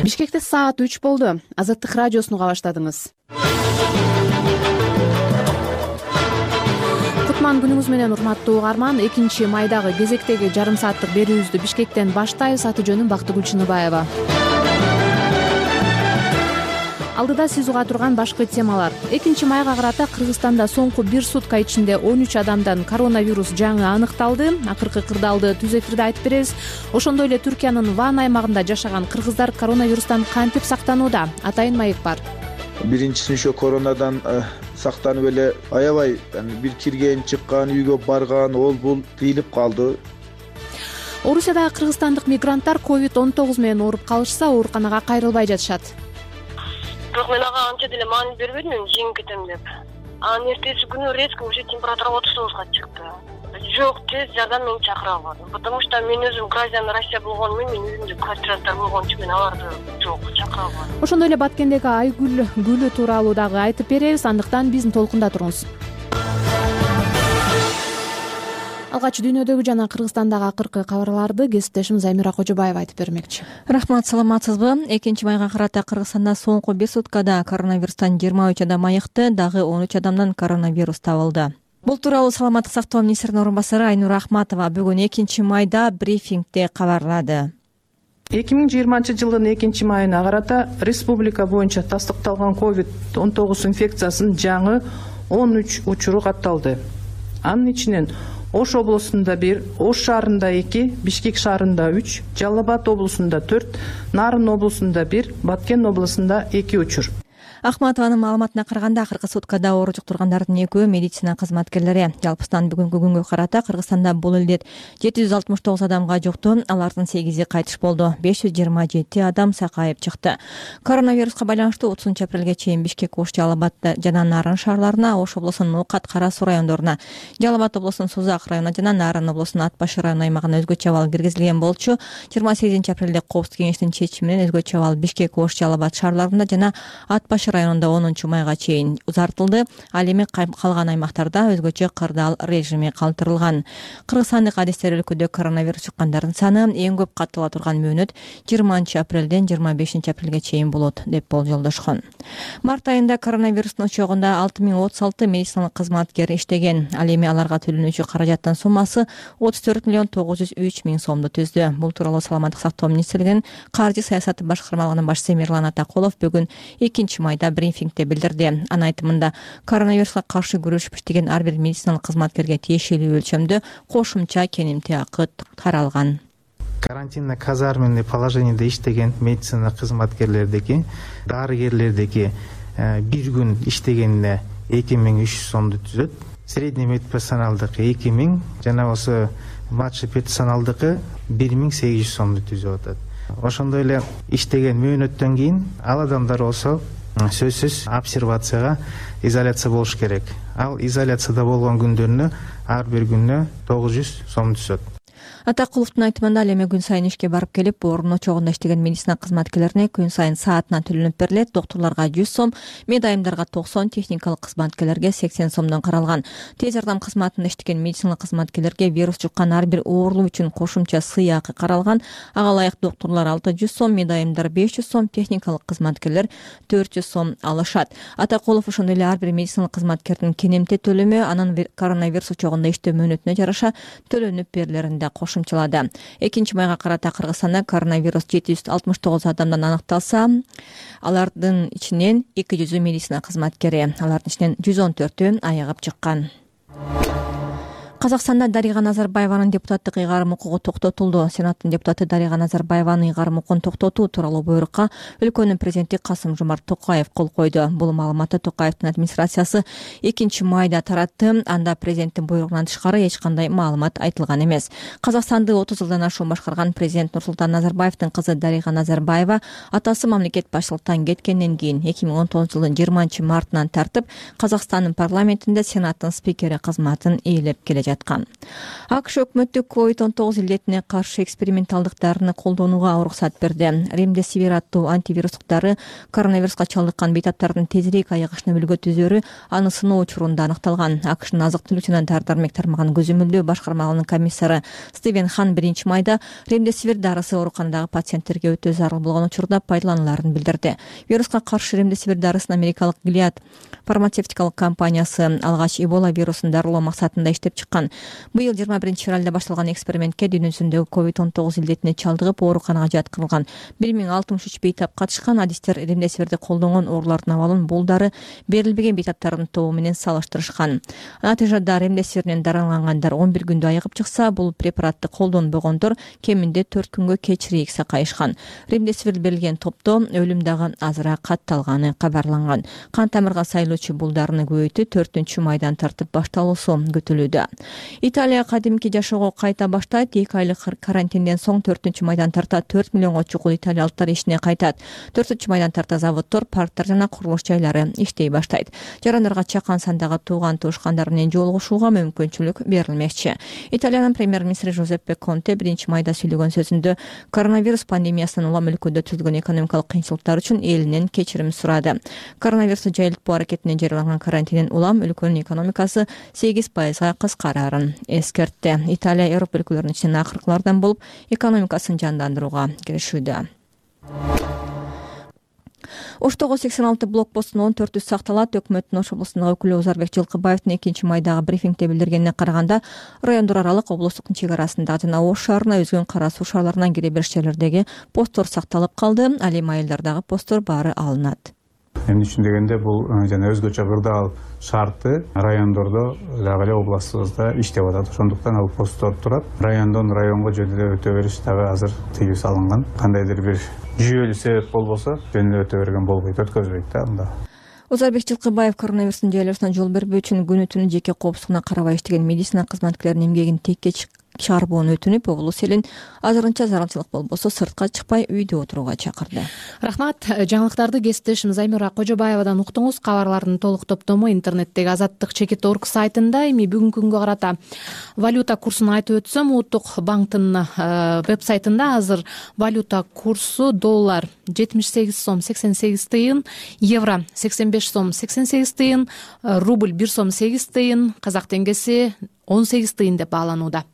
Бишкекте саат 3 болду. Азаттык радиосун уга баштадыңыз. Кутман күнүңүз менен, урматтуу угарман. 2 майдагы кезектеги жарым сааттык берүүбүздү Бишкектен баштайбыз. Аты жөнүм Бактыгүл Чыныбаева. Алдыда сиз уга турган башкы темалар. 2 майга карата Кыргызстанда соңку 1 сутка ичинде 13 адамдан коронавирус жаңы аныкталды. Акыркы кырдаалды түз эфирде айтып беребиз. Ошондой эле Түркиянын Ван аймагында жашаган кыргыздар коронавирустан кантип сактанууда? Атайын маек бар. Биринчисин ошо коронадан сактанып эле аябай бир кирген, чыккан, үйгө барган, ол бул тыйылып калды. Орусияда кыргызстандык мигранттар COVID-19 менен ооруп калышса, ооруканага кайрылбай жатышат. Бирок мен ага анча деле маани бербедим, жеңип кетем деп. Анын эртеси күнү резко уже температура 39га чыкты. Жок, тез жардам мен чакыра албадым. Потому что мен өзүм гражданин Россия болгону менен, мен өзүмдү квартиранттар болгон үчүн мен аларды жок чакыра албадым. Ошондой эле Баткендеги Айгүл гүлү тууралуу дагы айтып беребиз. Андыктан биздин толкунда туруңуз. Алгач дүйнөдөгү жана Кыргызстандагы акыркы кабарларды кесиптешим Замира Кожобаева айтып бермекчи. Рахмат, саламатсызбы? 2 майга карата Кыргызстанда соңку 1 суткада коронавирустан 23 адам айыкты, дагы 13 адамдан коронавирус табылды. Бул тууралуу Саламаттык сактоо министринин орун басары Айнура Ахматова бүгүн 2 майда брифингде кабарлады. 2020 жылдын 2 майына карата республика боюнча тастыкталган COVID-19 инфекциясынын жаңы 13 учуру катталды. Анын ичинен Ош облусунда 1, Ош шаарында 2, Бишкек шаарында 3, Жалал Абад облусунда 4, Нарын облусунда 1, Баткен облусунда 2 учур. Ахматованын маалыматына караганда, акыркы суткада оору жуктургандардын 2-өө медицина кызматкерлери. Жалпысынан бүгүнкү күнгө карата Кыргызстанда бул илдет 769 адамга жукту, алардын 8и кайтыш болду. 527 адам сакайып чыкты. Коронавируска байланыштуу 30 апрелге чейин Бишкек, Ош, Жалал Абад жана Нарын шаарларына, Ош облусунун Укат, Кара Суу райондоруна, Жалал Абад облусунун Сузак районуна жана Нарын облусунун Ат Башы району аймагына өзгөчө абал киргизилген болчу. 28 апрелде Коопсуздук кеңештин чечими менен өзгөчө абал Бишкек, Ош, Жалал Абад шаарларында жана Ат Башы районунда 10 майга чейин узартылды. Ал эми калган аймактарда өзгөчө кырдаал режими калтырылган. Кыргызстандык адистер өлкөдө коронавирус чыккандардын саны эң көп каттала турган мөөнөт 20 апрелден 25 апрелге чейин болот деп болжолдошкон. Март айында коронавирустун очогунда 6036 медициналык кызматкер иштеген. Ал эми аларга төлөнүүчү каражаттын суммасы 34 миллион 903 миң сомду түздү. Бул тууралуу Саламаттык сактоо министрлигинин каржы саясаты башкармалыгынын башчысы Мирлан Атакулов бүгүн 2 майда брифингде билдирди. Анын айтымында, коронавируска каршы күрөшүп иштеген ар бир медициналык кызматкерге тиешелүү өлчөмдө кошумча кенемти акы каралган. Карантинный казарменный положениеде иштеген медицина кызматкерлердеги, дарыгерлердеги бир күн иштегенине 2300 сомду түзөт. Средний медперсоналдыкы 2000, жана болсо младший персоналдыкы 1800 сомду түзүп атат. Ошондой эле иштеген мөөнөттөн кийин ал адамдар болсо сөзсүз обсервацияга, изоляция болуш керек. Ал изоляцияда болгон күндөрүнө ар бир күнүнө 900 сом түшөт. Атакуловдун айтымында, ал эми күн сайын ишке барып келип, орун очогунда иштеген медицина кызматкерлерине күн сайын саатынан төлөнүп берилет. Доктурларга 100 сом, медайымдарга 90, техникалык кызматкерлерге 80 сомдон каралган. Тез жардам кызматында иштеген медицина кызматкерлерге вирус жуккан ар бир оорулуу үчүн кошумча сыйакы каралган. Ага ылайык доктурлар 600 сом, медайымдар 500 сом, техникалык кызматкерлер 400 сом алышат. Атакулов ошондой эле ар бир медицина кызматкердин кенемте төлөмү анын коронавирус очогунда иштөө мөөнөтүнө жараша төлөнүп берилеринде кошумчалады. 2 майга карата Кыргызстанда коронавирус 769 адамдан аныкталса, алардын ичинен 200 медицина кызматкери, алардын ичинен 114-ü айыгып чыккан. Казакстанда Дарига Назарбаеванын депутаттык ыйгарым укугу токтотулду. Сенаттын депутаты Дарига Назарбаеванын ыйгарым укугун токтотуу тууралуу буйрукка өлкөнүн президенти Касым-Жомарт Токаев кол койду. Бул маалыматты Токаевдин администрациясы 2 майда таратты. Анда президенттин буйругунан тышкары эч кандай маалымат айтылган эмес. Казакстанды 30 жылдан ашуун башкарган президент Нурсултан Назарбаевдин кызы Дарига Назарбаева атасы мамлекет башчылыктан кеткенден кийин 2019 жылдын 20 мартынан тартып Казакстандын парламентинде Сенаттын спикери кызматын ээлеп келе жатат. жаткан. АКШ өкмөтү COVID-19 илдетине каршы эксперименталдык дарыны колдонууга уруксат берди. Ремдесивир аттуу антивирустук дары коронавируска чалдыккан бейтаптардын тезирээк айыгышына үлгү түзөрү аны сыноо учурунда аныкталган. АКШнын азык-түлүк жана дары-дармек тармагын көзөмөлдөө башкармалыгынын комиссары Стивен Хан 1 майда ремдесивир дарысы ооруканадагы пациенттерге өтө зарыл болгон учурда пайдалануларын билдирди. Вируска каршы ремдесивир дарысын америкалык Gilead фармацевтикалык компаниясы алгач Эбола вирусун дарылоо максатында иштеп чыккан. Быйыл 21-февралда башталган экспериментке дүйнө жүзүндөгү COVID-19 илдетине чалдыгып ооруканага жаткырылган 1063 бейтап катышкан. Адистер ремдесивирди колдонгон оорулардын абалын бул дары берилбеген бейтаптардын тобу менен салыштырышкан. Натыйжада ремдесивирден даралангандар 11 күндө айыгып чыкса, бул препаратты колдонбогондор кеминде 4 күнгө кечирээк сакайышкан. Ремдесивир берилген топто өлүм дагы азыраак катталганы кабарланган. Кан тамырга сайылуучу бул дарыны көбөйтүү 4-майдан тартып башталуусу күтүлүүдө. Италия кадимки жашоого кайта баштайт. 2 айлык карантинден соң 4-майдан тарта 4 миллионго чукул италиялыктар ишине кайтат. 4-майдан тарта заводдор, парктар жана курулуш жайлары иштей баштайт. Жарандарга чакан сандагы тууган туушкандар менен жолугушууга мүмкүнчүлүк берилмекчи. Италиянын премьер-министри Жозеппе Конте 1-майда сүйлөгөн сөзүндө коронавирус пандемиясынан улам өлкөдө түзүлгөн экономикалык кыйынчылыктар үчүн элинен кечирим сурады. Коронавирусту жайылтпоо аракетине жарыяланган карантинден улам өлкөнүн экономикасы 8% кыскарарын эскертти. Италия Европа өлкөлөрүнүн ичинен акыркылардан болуп экономикасын жандандырууга киришүүдө. Оштогу 86 блокпосттун 14-ü сакталат. Өкмөттүн Ош облусундагы өкүлү Озарбек Жылкыбаевдин 2-майдагы брифингде билдиргенине караганда, райондор аралык облустук чек арасындагы жана Ош шаарына өзгөн кара суу шаарларынан кире бериш жерлердеги посттор сакталып калды. Ал эми айылдардагы посттор баары алынат. Эмне үчүн дегенде бул жана өзгөчө кырдаал шарты райондордо дагы эле областыбызда иштеп атат. Ошондуктан ал посттор турат. Райондон районго жөн эле өтө бериш дагы азыр тыюу салынган. Кандайдыр бир жүйөлүү себеп болбосо жөн эле өтө берген болбойт, өткөзбөйт да анда. Озарбек Жылкыбаев коронавирустун жайылышына жол бербөө үчүн күнү-түнү жеке коопсуздугуна карабай иштеген медицина кызматкерлеринин эмгегин текке чыгарбоону өтүнүп, облус элин азырынча зарылчылык болбосо сыртка чыкпай үйдө отурууга чакырды. Рахмат. Жаңылыктарды кесиптешим Займира Кожобаевадан уктуңуз. Кабарлардын толук топтому интернеттеги Азаттык-Чекит.org сайтында. Эми бүгүнкү күнгө карата валюта курсун айтып өтсөм, Улуттук банктын веб-сайтында азыр валюта курсу доллар 78 сом 88 тыйын, евро 85 сом 88 тыйын, рубль 1 сом 8 тыйын, казак теңгеси 18 тыйын деп бааланууда.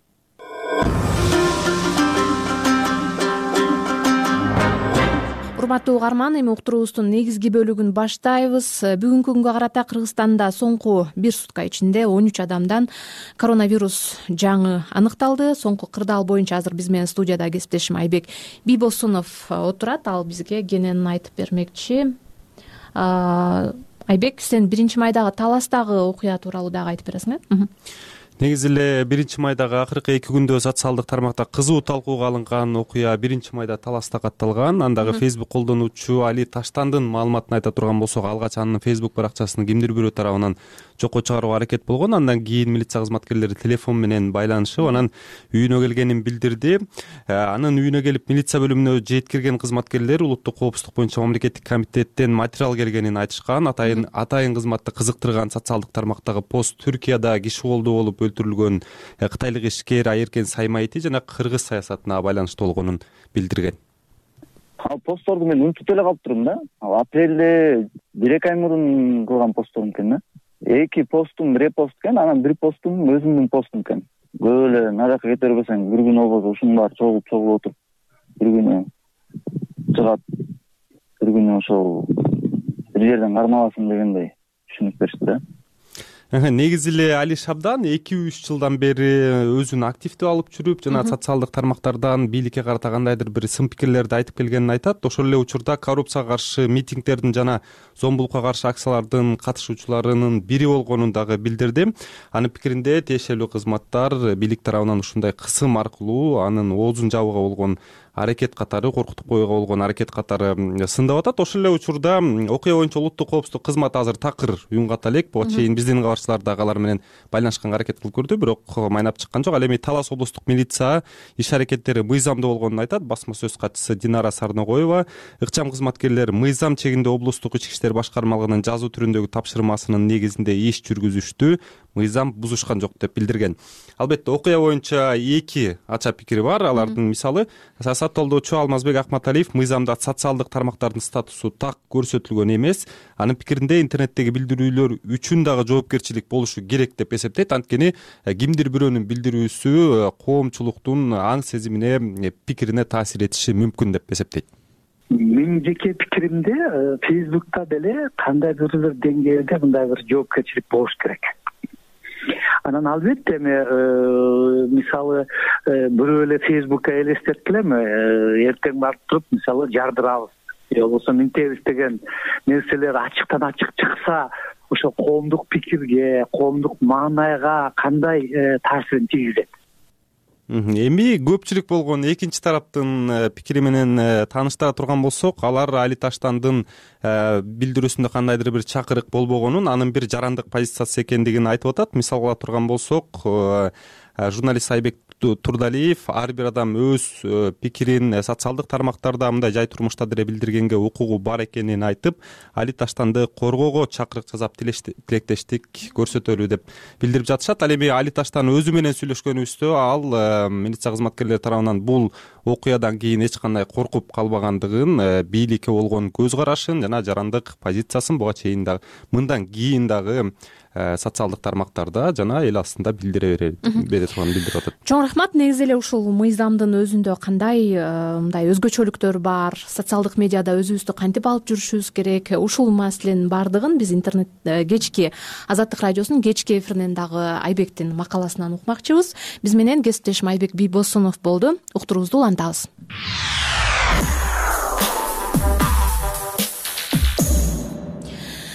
Урматтуу угарман, эми уктуруубуздун негизги бөлүгүн баштайбыз. Бүгүнкү күнгө карата Кыргызстанда соңку 1 сутка ичинде 13 адамдан коронавирус жаңы аныкталды. Соңку кырдаал боюнча азыр биз менен студияда кесиптешим Айбек Бийбосунов отурат. Ал бизге кененин айтып бермекчи. Айбек, сен 1-майдагы таластагы окуя тууралуу дагы айтып бересиң, э? Негизи эле 1-майдагы акыркы 2 күндө социалдык тармакта кызуу талкууга алынган окуя 1-майда Таласта катталган. Андагы Facebook колдонуучу Али Таштандын маалыматын айта турган болсок, алгач анын Facebook баракчасын кимдир бирөө тарабынан жокко чыгарууга аракет болгон. Андан кийин милиция кызматкерлери телефон менен байланышып, анан үйүнө келгенин билдирди. Анын үйүнө келип милиция бөлүмүнө жеткирген кызматкерлер улуттук коопсуздук боюнча мамлекеттик комитеттен материал келгенин айтышкан. Атайын кызматты кызыктырган социалдык тармактагы пост Түркияда киши колдоо болуп өлтүрүлгөн кытайлык ишкер Айыркен Саймайти жана кыргыз саясатына байланыштуу болгонун билдирген. Ал постторду мен унутуп эле калыптырмын да. Ал апрелде 1-2 ай мурун кылган постторум экен да. 2 постум репост экен, анан 1 постум өзүмдүн постум экен. Көп эле наракка кете бербесең, бир күн болбосо ушунун баары чогулуп отуруп, бир күнү чыгат, бир күнү ошол бир жерден кармаласын дегендей түшүнүк беришти да. Негизи эле Али Шабдан 2-3 жылдан бери өзүн активдүү алып жүрүп, жана социалдык тармактардан бийликке карата кандайдыр бир сын пикирлерди айтып келгенин айтат. Ошол эле учурда коррупцияга каршы митингдердин жана зомбулукка каршы акциялардын катышуучуларынын бири болгонун дагы билдирди. Анын пикиринде тиешелүү кызматтар бийлик тарабынан ушундай кысым аркылуу анын оозун жабууга болгон аракет катары, коркутуп коюуга болгон аракет катары сындап атат. Ошол эле учурда окуя боюнча улуттук коопсуздук кызматы азыр такыр уюнгат элек. Буга чейин биздин кабарчылар дагы алар менен байланышканга аракет кылып көрдү, бирок майнап чыккан жок. Ал эми Талас облустук милиция иш аракеттери мыйзамдуу болгонун айтат. Басма сөз катчысы Динара Сарногоева ыкчам кызматкерлер мыйзам чегинде облустук ички иштер башкармалыгынын жазуу түрүндөгү тапшырмасынын негизинде иш жүргүзүштү. мыйзам бузушкан жок деп билдирген. Албетте окуя боюнча эки ача пикири бар. Алардын мисалы саясаттоодочу Алмазбек Акматалиев мыйзамда социалдык тармактардын статусу так көрсөтүлгөн эмес. Анын пикиринде интернеттеги билдирүүлөр үчүн дагы жоопкерчилик болушу керек деп эсептейт. Анткени кимдир бирөөнүн билдирүүсү коомчулуктун аң сезимине, пикирине таасир этиши мүмкүн деп эсептейт. Менин жеке пикиримде Facebook'та деле кандайдыр бир деңгээлде мындай бир жоопкерчилик болуш керек. Анан албетте эми мисалы бирөө эле Facebook'ка элестеткилеме, эртең барып туруп мисалы жардырабыз же болбосо минтебиз деген нерселер ачыктан ачык чыкса, ошо коомдук пикирге, коомдук маанайга кандай таасирин тийгизет? Эми көпчүлүк болгон экинчи тараптын пикири менен тааныштыра турган болсок, алар Али Таштандын билдирүүсүндө кандайдыр бир чакырык болбогонун, анын бир жарандык позициясы экендигин айтып атат. Мисал кыла турган болсок, журналист Айбек Турдалиев ар бир адам өз пикирин социалдык тармактарда мындай жай турмушта деле билдиргенге укугу бар экенин айтып, Али Таштанды коргоого чакырык жасап тилектештик көрсөтөлү деп билдирип жатышат. Ал эми Али Таштан өзү менен сүйлөшкөнүбүздө ал милиция кызматкерлери тарабынан бул окуядан кийин эч кандай коркуп калбагандыгын, бийликке болгон көз карашын жана жарандык позициясын буга чейин дагы мындан кийин дагы социалдык тармактарда жана эл астында билдире турганын билдирип атат. Чоң рахмат. Негизи эле ушул мыйзамдын өзүндө кандай мындай өзгөчөлүктөр бар, социалдык медиада өзүбүздү кантип алып жүрүшүбүз керек, ушул маселенин баардыгын биз интернет кечки Азаттык радиосунун кечки эфиринен дагы Айбектин макаласынан укмакчыбыз. Биз менен кесиптешим Айбек Бийбосунов болду. Уктуруубузду улантабыз.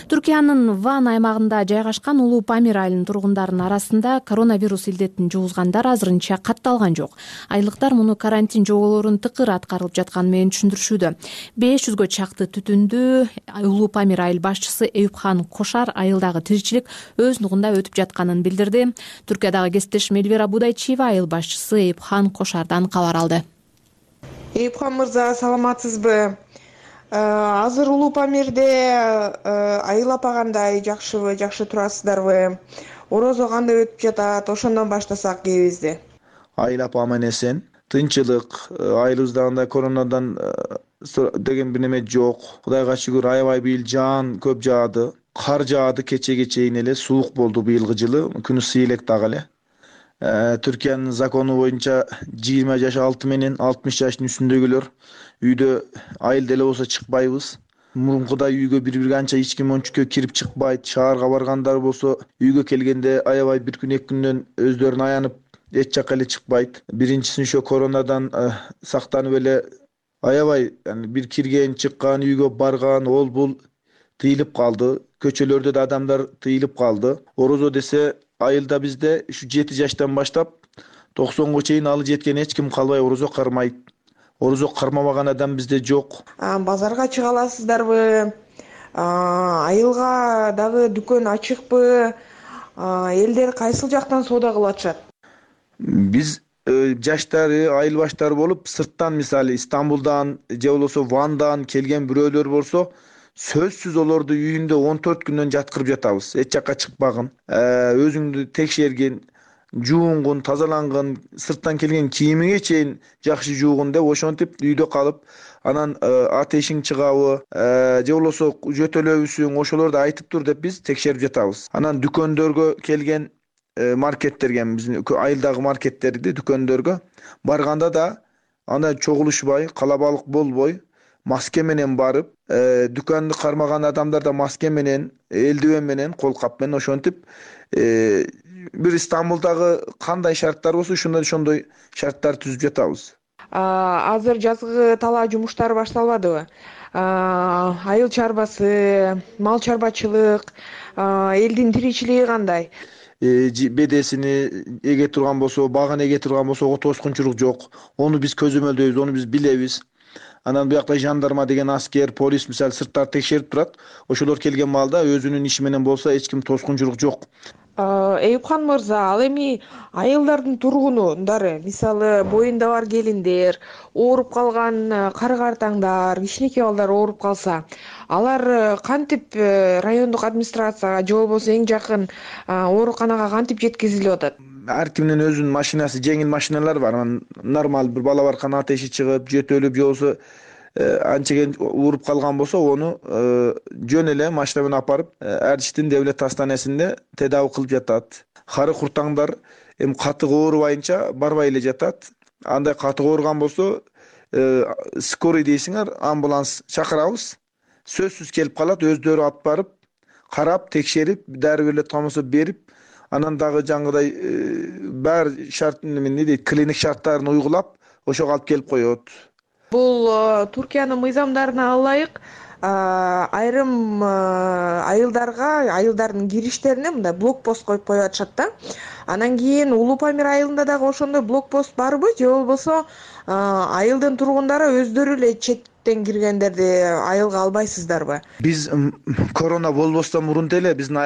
Түркиянын Ван аймагында жайгашкан Улуу Памир айылынын тургундарынын арасында коронавирус илдетин жугузгандар азырынча катталган жок. Айылдыктар муну карантин жоболорунун тыкыр аткарылып жатканы менен түшүндүрүшүүдө. 500гө чакты түтүндү Улуу Памир айыл башчысы Эюпхан Кошар айылдагы тиричилик өз нугунда өтүп жатканын билдирди. Түркиядагы кесиптешим Элвира Будайчиева айыл башчысы Эюпхан Кошардан кабар алды. Эюпхан мырза, саламатсызбы? Азыр Улуу Памирде айыл апа кандай, жакшыбы, жакшы турасыздарбы? Орозо кандай өтүп жатат? Ошондон баштасак кебизди. Айыл апа аман эсен, тынчылык, айылыбызда андай коронадан деген бир неме жок. Кудайга шүгүр, аябай быйыл жаан көп жаады. Кар жаады кечеге чейин эле, суук болду быйылгы жылы, күнү ысый элек дагы эле. Түркиянын закону боюнча 20 жаш алты менен 60 жаштын үстүндөгүлөр үйдө айыл деле болсо чыкпайбыз. Мурункудай үйгө бири канча эч ким ончукка кирип чыкпайт. Шаарга баргандар болсо үйгө келгенде аябай бир күн эки күндөн өздөрүн аянып эч жакка эле чыкпайт. Биринчиси ошо коронадан сактанып эле аябай бир кирген, чыккан, үйгө барган, ол бул тыйылып калды. Көчөлөрдө да адамдар тыйылып калды. Орозо десе айылда бизде ушу 7 жаштан баштап 90го чейин алы жеткен эч ким калбай орозо кармайт. Орозо кармабаган адам бизде жок. Базарга чыга аласыздарбы? Айылга дагы дүкөн ачыкпы? Элдер кайсыл жактан соода кылып атышат? Биз жаштары, айыл баштары болуп, сырттан мисалы Стамбулдан же болбосо Вандан келген бирөөлөр болсо, сөзсүз олорду үйүндө 14 күндөн жаткырып жатабыз. Эч жакка чыкпагын, өзүңдү текшергин, жуунгун, тазалангын, сырттан келген кийимиңе чейин жакшы жуугун деп ошентип үйдө калып, анан атешиң чыгабы, же болбосо жөтөлөбүсүң, ошолорду айтып тур деп биз текшерип жатабыз. Анан дүкөндөргө келген маркеттерге, биздин айылдагы маркеттерди дүкөндөргө барганда да анда чогулушпай, калабалык болбой, маска менен барып, дүканды кармаган адамдар да маска менен, элдивен менен, кол кап менен ошентип бир Стамбулдагы кандай шарттар болсо ошондой шарттар түзүп жатабыз. Азыр жазгы талаа жумуштары башталбадыбы? Айыл чарбасы, мал чарбачылык, элдин тиричилиги кандай? Бедесини эге турган болсо, багын эге турган болсо, тоскунчулук жок. Ону биз көзөмөлдөйбүз, ону биз билебиз. Анан буякта жандарма деген аскер, полис мисалы сырттар текшерип турат. Ошолор келген маалда өзүнүн иши менен болсо эч ким тоскунчулук жок. Эюпхан мырза, ал эми айылдардын тургундары, мисалы боюнда бар келиндер, ооруп калган кары картаңдар, кичинекей балдар ооруп калса, алар кантип райондук администрацияга же болбосо эң жакын ооруканага кантип жеткизилип атат? Ар кимдин өзүнүн машинасы, жеңил машиналар бар. Нормал бир бала баркан атеши чыгып, жөтөлүп, же болбосо анчеген ооруп калган болсо, ону жөн эле машина менен апарып Эрчиштин девлет астанасында тедавий кылып жатат. Кары куртаңдар эми катык оорубайынча барбай эле жатат. Андай катык ооруган болсо, скорый дейсиңер, амбуланс чакырабыз. Сөзсүз келип калат, өздөрү алып барып, карап, текшерип, дару берилет болсо берип, анан дагы жаңгыдай баары шарт эмне дейт, клиник шарттарын уйгулап, ошого алып келип коет. Бул Туркиянын мыйзамдарына ылайык айрым айылдардын кириштерине мындай блокпост коюп атышат да. Анан кийин Улуу Памир айылында дагы ошондой блокпост барбы, же болбосо айылдын тургундары өздөрү эле четтен киргендерди айылга албайсыздарбы? Биз корона болбостон мурун деле биздин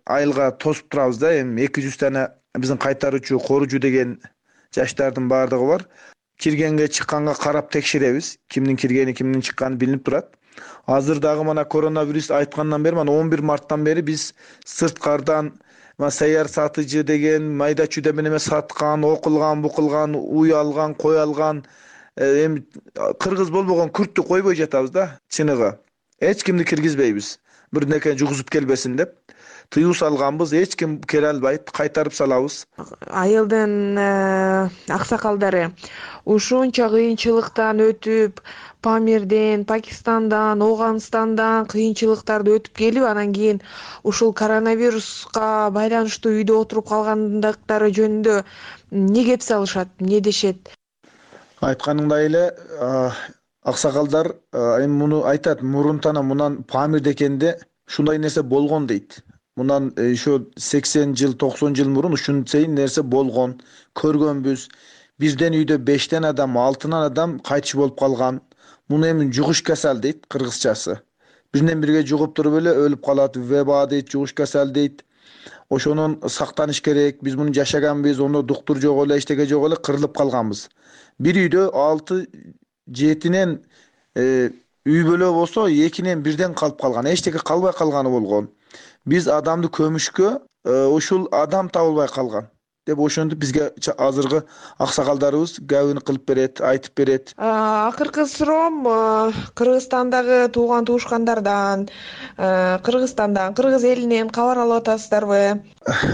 айылга тосуп турабыз да. Эми 200 дана биздин кайтаруучу, коружу деген жаштардын баардыгы бар. Киргенге чыкканга карап текшеребиз. Кимдин киргени, кимдин чыкканы билинип турат. Азыр дагы мана коронавирус айткандан бери, мана 11 марттан бери биз сырткардан саяр сатыжы деген майда чүйдө менен саткан, окулган, букулган, уй алган, кой алган, эми кыргыз болбогон күрттү койбой жатабыз да, чыныгы. Эч кимди киргизбейбиз. Бирдеке жугузуп келбесин деп тыюу салганбыз, эч ким келе албайт, кайтарып салабыз. Айылдын аксакалдары ушунча кыйынчылыктан өтүп, Памирден, Пакистандан, Ооганстандан кыйынчылыктарды өтүп келип, анан кийин ушул коронавируска байланыштуу үйдө отуруп калгандыктары жөнүндө эмне кеп салышат, эмне дешет? Айтканыңдай эле аксакалдар эми муну айтат, мурунтан мунан Памирде экенде ушундай нерсе болгон дейт. Мунан ошо 80 жыл, 90 жыл мурун ушунчай нерсе болгон, көргөнбүз. Бирден үйдө 5 адам, 6 адам кайтыш болуп калган. Муну эми жугуш касал дейт кыргызчасы. Биринен бирге жугуп туруп эле өлүп калат, веба дейт, жугуш касал дейт. Ошонун сактаныш керек. Биз муну жашаганбыз, ондо доктур жок эле, эчтеке жок эле, кырылып калганбыз. Бир үйдө 6-7 үй бөлө болсо, 2-ден 1ден калып калган, эчтеке калбай калганы болгон. Биз адамды көмүшкө ушул адам табылбай калган деп ошентип бизге азыркы аксакалдарыбыз габыны кылып берет, айтып берет. Акыркы суроом Кыргызстандагы тууган туушкандардан, Кыргызстандан, кыргыз элинен кабар алып атасыздарбы?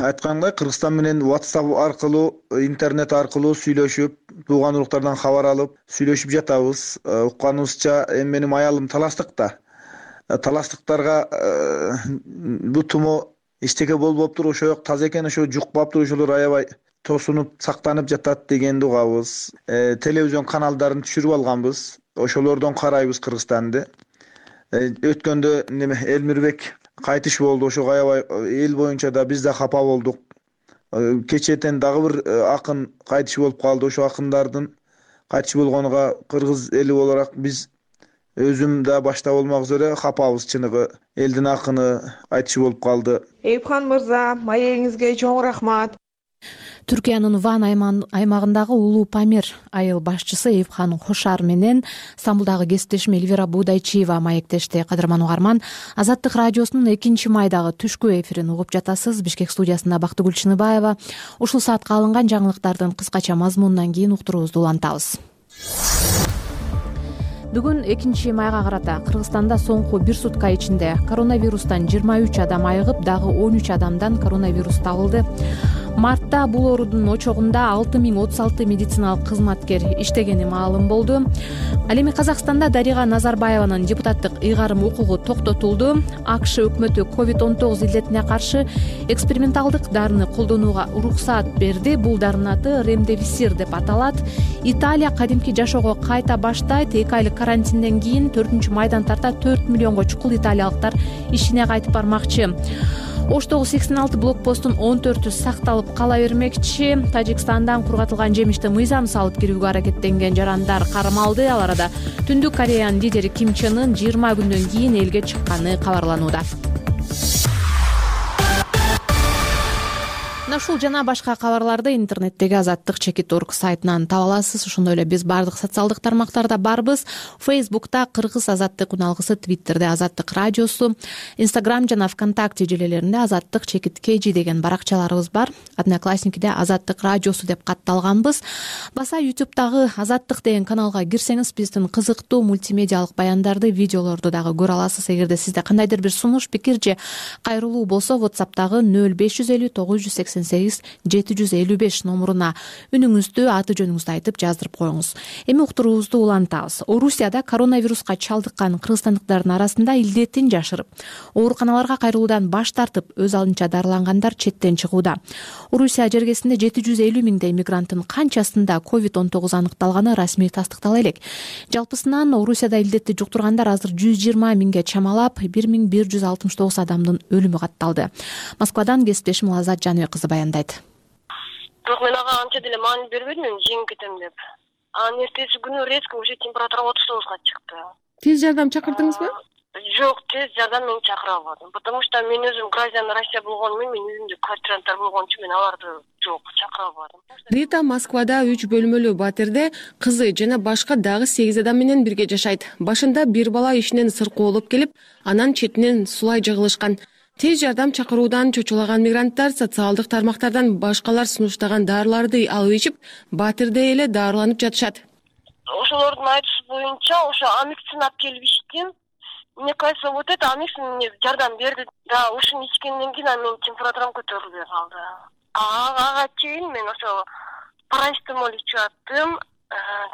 Айткандай, Кыргызстан менен WhatsApp аркылуу, интернет аркылуу сүйлөшүп, тууган уруктардан кабар алып, сүйлөшүп жатабыз. Укканыбызча, эми менин аялым таластыкта. Таластыктарга бу тумо эчтеке болбоптур, ошо жок таза экен, ошо жукпаптыр, ошолор аябай тосунуп, сактанып жатат дегенди угабыз. Телевизион каналдарын түшүрүп алганбыз. Ошолордон карайбыз Кыргызстанды. Өткөндө Элмирбек кайтыш болду, ошого аябай эл боюнча да биз да капа болдук. Кечетен дагы бир акын кайтыш болуп калды. Ошо акындардын кайтыш болгонуга кыргыз эли olarak биз өзүм да башта болмок üzere капабыз, чыныгы. Элдин акыны айтышы болуп калды. Эюпхан мырза, маегиңизге чоң рахмат. Түркиянын Ван аймагындагы Улуу Памир айыл башчысы Эюпхан Кошар менен Стамбулдагы кесиптешим Элвира Будайчиева маектешти. Кадырман угарман, Азаттык радиосунун 2-майдагы түшкү эфирин угуп жатасыз. Бишкек студиясында Бактыгүл Чыныбаева. Ушул саатка алынган жаңылыктардын кыскача мазмунунан кийин уктуруубузду улантабыз. Бүгүн 2-майга карата Кыргызстанда соңку 1 сутка ичинде коронавирустан 23 адам айыгып, дагы 13 адамдан коронавирус табылды. Мартта бул оорудун очогунда 6036 медициналык кызматкер иштегени маалым болду. Ал эми Казакстанда Дарига Назарбаеванын депутаттык ыйгарым укугу токтотулду. АКШ өкмөтү COVID-19 илдетине каршы эксперименталдык дарыны колдонууга уруксаат берди. Бул дарынын аты Ремдесивир деп аталат. Италия кадимки жашоого кайта баштайт. 2 айлык карантинден кийин 4-майдан тарта 4 миллионго чукул италиялыктар ишине кайтып бармакчы. Оштогу 86 блокпосттун 14-ü сакталып кала бермекчи. Тажикстандан кургатылган жемишти мыйзам салып кирүүгө аракеттенген жарандар кармалды. Ал арада Түндүк Кореянын лидери Ким Чен Ын 20 күндөн кийин элге чыкканы кабарланууда. Мына ушул жана башка кабарларды интернеттеги Азаттык.org сайтынан таба аласыз. Ошондой эле биз бардык социалдык тармактарда барбыз. Фейсбукта Кыргыз Азаттык уналгысы, Твиттерде Азаттык радиосу, Инстаграм жана ВКонтакте желелеринде Азаттык_KG деген баракчаларыбыз бар. Одноклассникиде Азаттык радиосу деп катталганбыз. Баса YouTube'дагы Азаттык деген каналга кирсеңиз биздин кызыктуу мультимедиалык баяндарды, видеолорду дагы көрө аласыз. Эгерде сизде кандайдыр бир сунуш, пикир же кайрылуу болсо, WhatsApp'тагы 0550 988 755 номуруна үнүңүздү, аты жөнүңүздү айтып жаздырып коюңуз. Эми уктуруубузду улантабыз. Орусияда коронавируска чалдыккан кыргызстандыктардын арасында илдетин жашырып, ооруканаларга кайрылуудан баш тартып, өз алдынча дарылангандар четтен чыгууда. Орусия жергесинде 750 миңдей мигранттын канчасында COVID-19 аныкталганы расмий тастыктала элек. Жалпысынан Орусияда илдетти жуктургандар азыр 120 миңге чамалап, 1169 адамдын өлүмү катталды. Москвадан кесиптешим Азат Жаныбек кызы баяндайт. Бирок мен ага анча деле маани бербедим, жеңип кетем деп. Анан эртеси күнү резко уже температура 39га чыкты. Тез жардам чакырдыңызбы? Жок, тез жардам мен чакыра албадым. Потому что мен өзүм гражданин Россия болгону менен, мен өзүмдү квартиранттар болгон үчүн мен аларды жок чакыра албадым. Рита Москвада 3 бөлмөлүү батирде кызы жана башка дагы 8 адам менен бирге жашайт. Башында бир бала ишинен сыркоолоп келип, анан четинен сулай жыгылышкан. Тез жардам чакыруудан чочулаган мигранттар социалдык тармактардан башкалар сунуштаган дарыларды алып ичип, батирде эле дарыланып жатышат. Ошолордун айтышы боюнча, ошо амиксин алып келип иштим. Мне кажется, вот это амиксин мне жардам берди. Да, ушуну ичкенден кийин менин температурам көтөрүлбөй калды. Ага чейин мен ошо парастемол ичип аттым,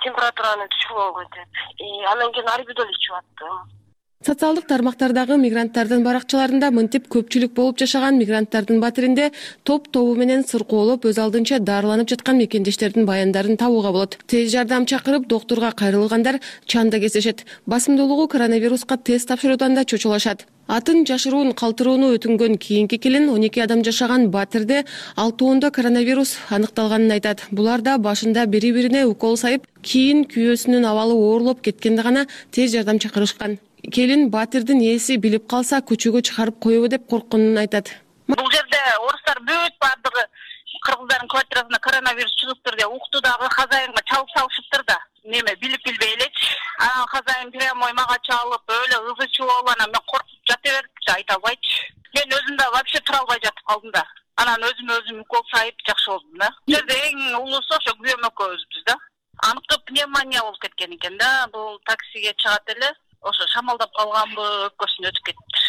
температураны түшүргөнгө деп. Андан кийин арбидол ичип аттым. Социалдык тармактардагы мигранттардын баракчаларында мынтип көпчүлүк болуп жашаган мигранттардын батиринде топ-тобу менен сыркоолоп, өз алдынча дарыланып жаткан мекендештердин баяндарын табууга болот. Тез жардам чакырып, доктурга кайрылгандар чанда кездешет. Басымдуулугу коронавируска тест тапшыруудан да чочулашат. Атын жашыруун калтырууну өтүнгөн кийинки келин 12 адам жашаган батирде 6 коронавирус аныкталганын айтат. Булар да башында бири-бирине укол сайып, кийин күйөөсүнүн абалы оорлоп кеткенде гана тез жардам чакырышкан. Келин батирдин ээси билип калса көчөгө чыгарып коебу деп коркконун айтат. Бул жерде орустар бүт бардыгы кыргыздардын квартирасына коронавирус чыгыптыр деп укту дагы хозяинга чалып салышыптыр да. Неме билип билбей элечи. Анан хозяин прямой мага чалып, өлө ызычуу болуп, анан мен коркуп жата бердимчи, айта албайчы. Мен өзүм да вообще тура албай жатып калдым да. Анан өзүм укол сайып жакшы болдум да. Бул жерде эң улуусу ошо күйөөм экөөбүзбүз да. Аныктап пневмония болуп кеткен экен да. Бул таксиге чыгат эле. Ошо шамалдап калганбы, өпкөсүн өтүп кетиптир.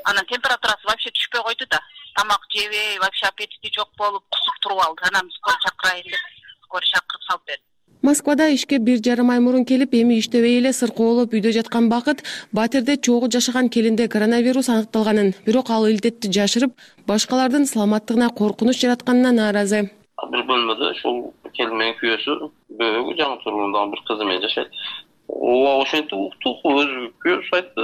Анан температурасы вообще түшпөй койду да. Тамак жебей, вообще аппетити жок болуп, кусуп туруп алды. Анан скорый чакырайын деп, скорый чакырып салып берди. Москвада ишке 1,5 ай мурун келип, эми иштебей эле сыркоолоп үйдө жаткан Бакыт батирде чогуу жашаган келинде коронавирус аныкталганын, бирок ал илдетти жашырып, башкалардын саламаттыгына коркунуч жаратканына нааразы. Бир бөлмөдө ушул келин менен күйөөсү бөөгү жаңы тургундагы бир кызы менен жашайт. Ошентип уктук, өзү күйөөсү айтты,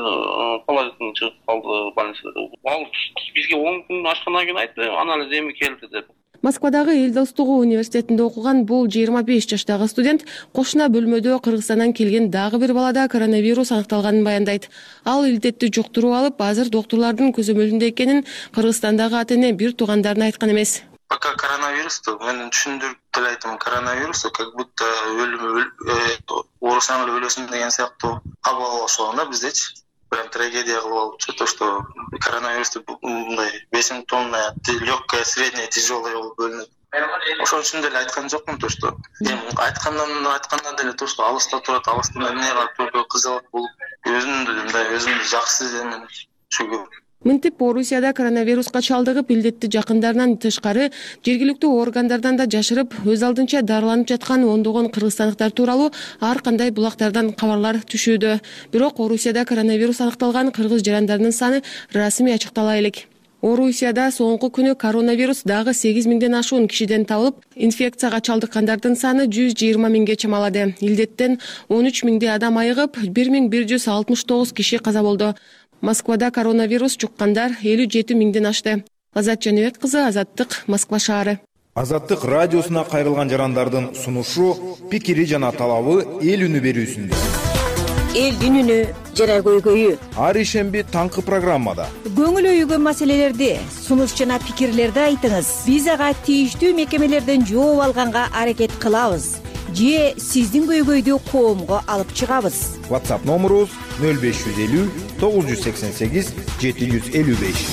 положительный чыгып калды больницада. Ал бизге 10 күн ачкандан кийин айтты, анализ эми келди деп. Москвадагы Эл достугу университетинде окуган бул 25 жаштагы студент кошуна бөлмөдө Кыргызстандан келген дагы бир балада коронавирус аныкталганын баяндайт. Ал илдетти жуктуруп алып, азыр доктурлардын көзөмөлүндө экенин Кыргызстандагы ата-эне бир туугандарына айткан эмес. Пока коронавирусту мен түшүндүрүп деле айтам, коронавирусту как будто оорусаң эле өлөсүң деген сыяктуу кабыл алып алышкан да биздечи. Прям трагедия кылып алыпчы, то что коронавирусту мындай 5 симптомная, легкая, средняя, тяжелая болуп бөлүнөт. Ошон үчүн деле айткан жокмун, то что айткандан деле то что алыста турат, алыстан эмне кылып кызылып болуп, өзүмдү жакшы сезем шүгүр. Мынтип Орусияда коронавируска чалдыгып, илдетти жакындарынан тышкары жергиликтүү органдардан да жашырып, өз алдынча дарыланып жаткан ондогон кыргызстандыктар тууралуу ар кандай булактардан кабарлар түшүүдө. Бирок Орусияда коронавирус аныкталган кыргыз жарандарынын саны расмий ачыктала элек. Орусияда соңку күнү коронавирус дагы 8 миңден ашуун кишиден табылып, инфекцияга чалдыккандардын саны 120 миңге чамалады. Илдеттен 13 миңдей адам айыгып, 1169 киши каза болду. Москвада коронавирус жуккандар 57 миңден ашты. Азат Жаныбек кызы, Азаттык, Москва шаары. Азаттык радиосуна кайрылган жарандардын сунушу, пикири жана талабы эл үнү берүүсүндө. элдин үнү жана көйгөйү ар ишемби таңкы программада көңүл өйгөн маселелерди сунуш жана пикирлерди айтыңыз. Биз ага тийиштүү мекемелерден жооп алганга аракет кылабыз же сиздин көйгөйдү коомго алып чыгабыз. WhatsApp номерубуз 0550 988 755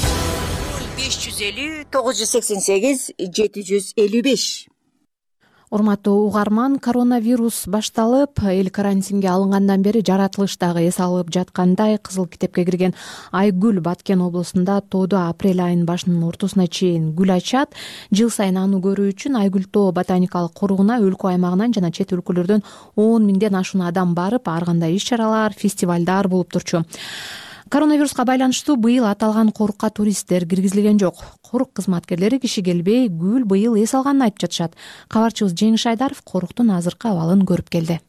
550 988 755. Урматтуу угарман, коронавирус башталып, эл карантинге алынгандан бери жаратылыштагы эс алып жаткандай кызыл китепке кирген Айгүл Баткен облусунда тоодо апрель айынын башынын ортосуна чейин гүл ачат. Жыл сайын аны көрүү үчүн Айгүл тоо ботаникалык коругуна өлкө аймагынан жана чет өлкөлөрдөн 10 миңден ашуун адам барып, ар кандай иш-чаралар, фестивалдар болуп турчу. Коронавируска байланыштуу быйыл аталган корукка туристтер киргизилген жок. Корук кызматкерлери киши келбей, гүл быйыл эс алганын айтып жатышат. Кабарчыбыз Жеңиш Айдаров коруктун азыркы абалын көрүп келди.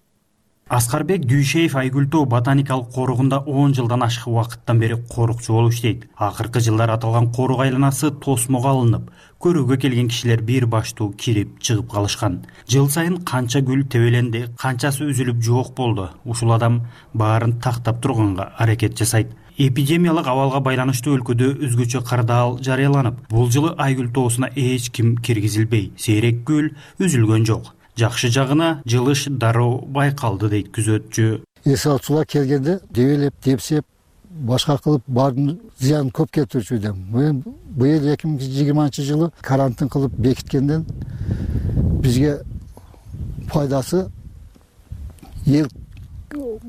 Аскарбек Дүйшеев Айгүл тоо ботаникалык коругунда 10 жылдан ашык убакыттан бери корукчу болуп иштейт. Акыркы жылдар аталган корук айланасы тосмого алынып, көрүүгө келген кишилер бир баштуу кирип чыгып калышкан. Жыл сайын канча гүл тебеленди, канчасы үзүлүп жок болду. Ушул адам баарын тактап турганга аракет жасайт. Эпидемиялык абалга байланыштуу өлкөдө өзгөчө кырдаал жарыяланып, бул жылы Айгүл тоосуна эч ким киргизилбей, сейрек гүл үзүлгөн жок. Жакшы жагына жылыш дароо байкалды дейт күзөтчү. Эс алуучулар келгенде дебелеп, депсеп, башка кылып баардын зыянын көп келтирчү эдим. Мен быйыл 2020-жылы карантин кылып бекиткенден бизге пайдасы эл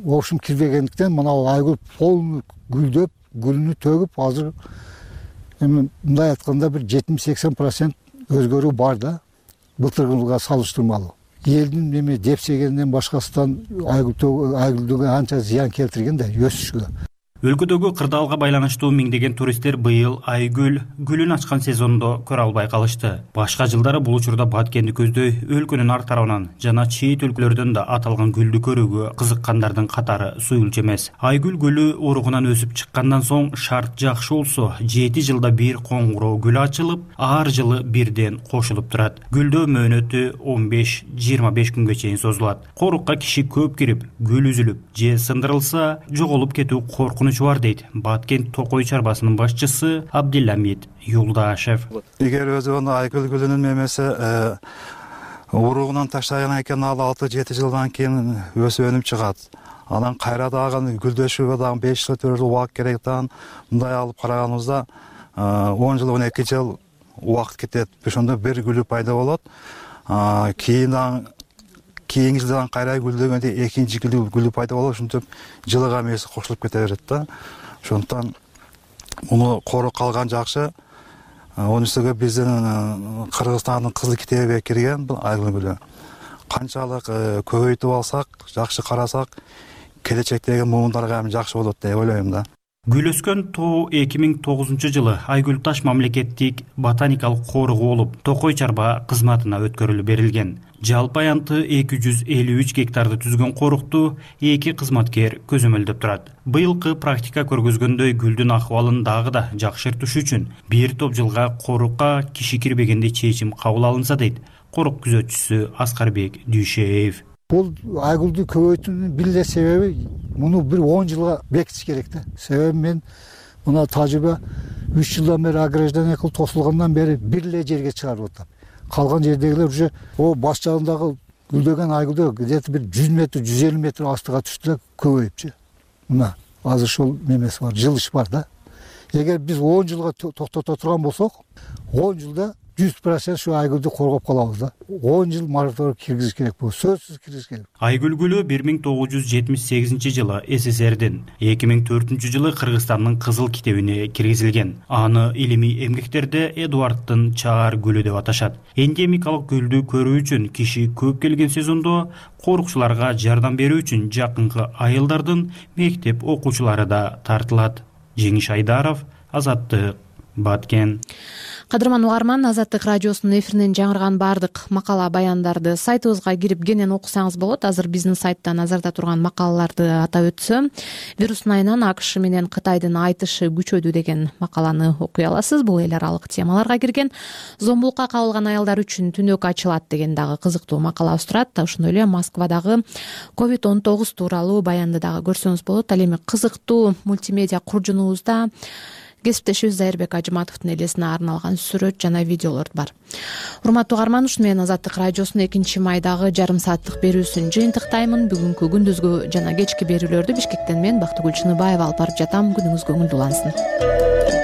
оошум кирбегендиктен мына Айгүл полный гүлдөп, гүлүнү төгүп, азыр эми мындай айтканда бир 70-80% өзгөрүү бар да. Былтыркы жылга салыштырмалуу. Элдин эми депсегенден башкасынан Айгүлдүгө анча зыян келтирген да өсүшкө. Өлкөдөгү кырдаалга байланыштуу миңдеген туристтер быйыл Айгүл гүлүн ачкан сезондо көрө албай калышты. Башка жылдары бул учурда Баткенди көздөй өлкөнүн ар тарабынан жана чет өлкөлөрдөн да аталган гүлдү көрүүгө кызыккандардын катары суюлчу эмес. Айгүл гүлү уругунан өсүп чыккандан соң шарт жакшы болсо 7 жылда бир коңгуроо гүл ачылып, ар жылы бирден кошулуп турат. Гүлдөө мөөнөтү 15-25 күнгө чейин созулат. Корукка киши көп кирип, гүл үзүлүп же сындырылса, жоголуп кетүү коркунуч бар дейт Баткен Токой чарбасынын башчысы Абдилламид Юлдашев. Эгер өзүнүн Айгүл гүлүнүн мемеси уругунан таштаган экен, ал 6-7 жылдан кийин өсүп өнүп чыгат. Анан кайра дагы гүлдөшүүгө дагы 5 жыл убакыт керек да. Мындай алып караганыбызда 10 жыл 12 жыл убакыт кетет. Ошондо бир гүлү пайда болот. Кийинки жылдан кайра гүлдөгөндө экинчи гүлү пайда болот. Ошентип жылыга мээси кошулуп кете берет да. Ошондуктан муну коруп калган жакшы. Онун үстүгө биздин Кыргызстандын кызыл китебине кирген бул Айгүл гүлү. Канчалык көбөйтүп алсак, жакшы карасак, келечектеги муундарга эми жакшы болот деп ойлойм да. Гүл өскөн тоо 2009 жылы Айгүл таш мамлекеттик ботаникалык коругу болуп, Токой чарба кызматына өткөрүлүп берилген. Жалпы аянты 253 гектарды түзгөн корукту 2 кызматкер көзөмөлдөп турат. Быйылкы практика көргөзгөндөй гүлдүн акыбалын дагы да жакшыртыш үчүн бир топ жылга корукка киши кирбегенде чечим кабыл алынса дейт корук күзөтчүсү Аскарбек Дүйшеев. Бул Айгүлдү көбөйтүүнүн бир эле себеби муну бир 10 жылга бекитиш керек да. Себеби мен мына тажрыйба 3 жылдан бери ограждение кылып тосулгандан бери бир эле жерге чыгарып атам. Калган жердегилер уже баш жагындагы гүлдөгөн Айгүлдө где-то бир 100 метр, 150 метр астыга түштү да көбөйүпчү. Мына азыр ушул немеси бар, жылыш бар да. Эгер биз 10 жылга токтото турган болсок, 10 жылда 100% şu Aygül'dü korgop kalabız da. 10 yıl marator kirgiz gerek bu. Sözsüz kirgiz gerek. Aygül gülü 1978 жылы СССРдин, 2004 жылы Кыргызстандын кызыл китебине киргизилген. Аны илимий эмгектерде Эдуарддын чаар гүлү деп аташат. Эндемикалык гүлдү көрүү үчүн киши көп келген сезондо корукчуларга жардам берүү үчүн жакынкы айылдардын мектеп окуучулары да тартылат. Жеңиш Айдаров, Азаттык, Баткен. Кадырман угарман, Азаттык радиосунун эфиринен жаңырган баардык макала баяндарды сайтыбызга кирип кенен окусаңыз болот. Азыр биздин сайтта назарда турган макалаларды атап өтсөм, вирустун айынан АКШ менен Кытайдын айтышы күчөдү деген макаланы окуй аласыз. Бул эл аралык темаларга кирген. Зомбулукка кабылган аялдар үчүн түнөк ачылат деген дагы кызыктуу макалабыз турат. Ошондой эле Москвадагы COVID-19 тууралуу баянды дагы көрсөңүз болот. Ал эми кызыктуу мультимедиа куржунубузда кесиптешибиз Зайырбек Ажыматовдун элесине арналган сүрөт жана видеолор бар. Урматтуу угарман, ушуну менен Азаттык радиосунун 2-майдагы жарым сааттык берүүсүн жыйынтыктаймын. Бүгүнкү күндүзгү жана кечки берүүлөрдү Бишкектен мен Бактыгүл Чыныбаева алып барып жатам. Күнүңүз көңүлдүү улансын.